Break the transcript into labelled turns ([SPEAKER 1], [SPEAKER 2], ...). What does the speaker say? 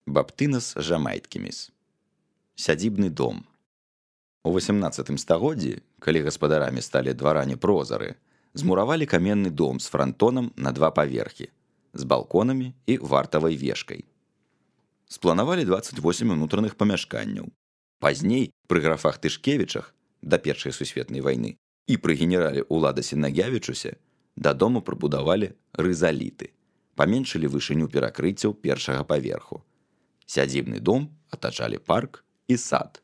[SPEAKER 1] Баптынас жамайткіміс. Сядзібны дом. У 18 стагоддзі, калі гаспадарамі сталі дваране прозары, змуравалі каменны дом з франтонам на 2 паверхі, з балконамі і вартавай вешкай. Спланавалі 28 унутраных памяшканняў. Пазней, пры графах Тышкевічах, да Першай сусветнай вайны, і пры генерале Уладасе Нагявічусе, дадому прыбудавалі рызаліты, паменшылі вышыню перакрыццяў першага паверху. Сядзібны дом атачалі парк і сад.